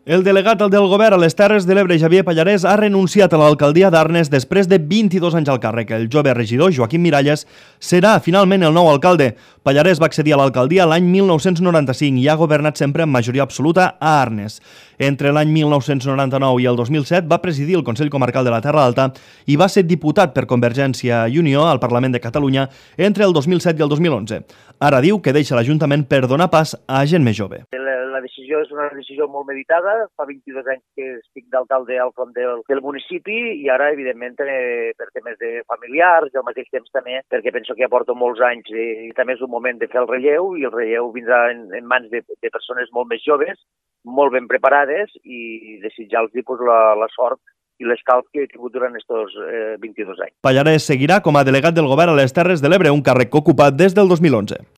El delegat del govern a les Terres de l'Ebre, Xavier Pallarès, ha renunciat a l'alcaldia d'Arnes després de 22 anys al càrrec. El jove regidor, Joaquim Miralles, serà finalment el nou alcalde. Pallarès va accedir a l'alcaldia l'any 1995 i ha governat sempre amb majoria absoluta a Arnes. Entre l'any 1999 i el 2007 va presidir el Consell Comarcal de la Terra Alta i va ser diputat per Convergència i Unió al Parlament de Catalunya entre el 2007 i el 2011. Ara diu que deixa l'Ajuntament per donar pas a gent més jove. La decisió és una decisió molt meditada. Fa 22 anys que estic d'alcalde al front del municipi i ara, evidentment, per temes de familiars i al mateix temps també perquè penso que ja porto molts anys i també és un moment de fer el relleu i el relleu vindrà en mans de persones molt més joves, molt ben preparades i desitjar-los la sort i l'escalf que he tingut durant aquests 22 anys. Pallarès seguirà com a delegat del govern a les Terres de l'Ebre, un càrrec ocupat des del 2011.